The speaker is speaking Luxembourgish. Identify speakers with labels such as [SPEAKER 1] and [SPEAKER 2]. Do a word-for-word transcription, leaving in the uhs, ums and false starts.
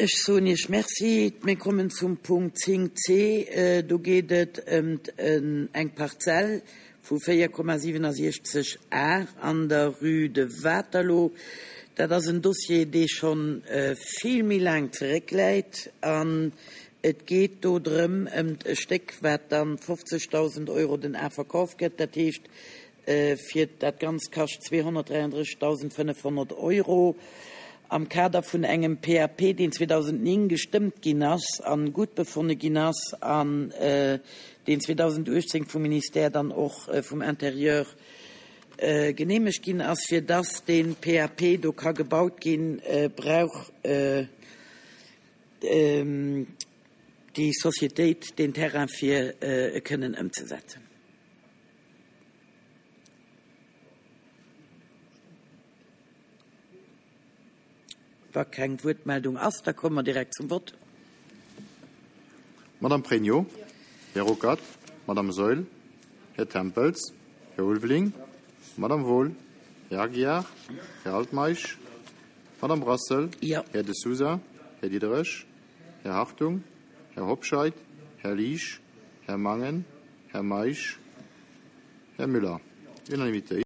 [SPEAKER 1] Ech soen Iech Merci. Mir kommen zum Punkt zéng c. Do geet et ëm eng Parzell vu véier Komma siwenasiechzeg Ar an der Rue de Waterloo. Dat ass en Dossier, dee scho vill méi laang zeréckläit. An et geet do drëm ëm e Stéck, wat dann fofzegdausend Euro den Ar verkaaft gëtt. Dat heescht, fir dat Ganzt kascht zweehonnertdräianddrëssigdausendfënnefhonnert Euro. Am Kader vun engem P A P, deen zweedausendnéng gestëmmt ginn ass an gutt befonne ginn ass an deen zweedausenduechtzéng vum Ministère dann och vum Intérieur geneemegt ginn ass, fir dass deen P A P do ka gebaut ginn, brauch déi Societéit den Terrain fir e kënnen ëmzesetzen. Wa keng Wuertmeldung ass, da komme mer direkt zum Vott.
[SPEAKER 2] Madame Pregno, Här Ruckert, Madame Saeul, Här Tempels, Här Ulveling, Madame Wohl, Här Aguiar, Här Altmeisch, Madame Brassel,
[SPEAKER 1] Ja.
[SPEAKER 2] Här De Sousa, Här Diderich, Här Hartung, Här Hobscheit, Här Liesch, Här Mangen, Här Meisch, Här Müller. Unanimité.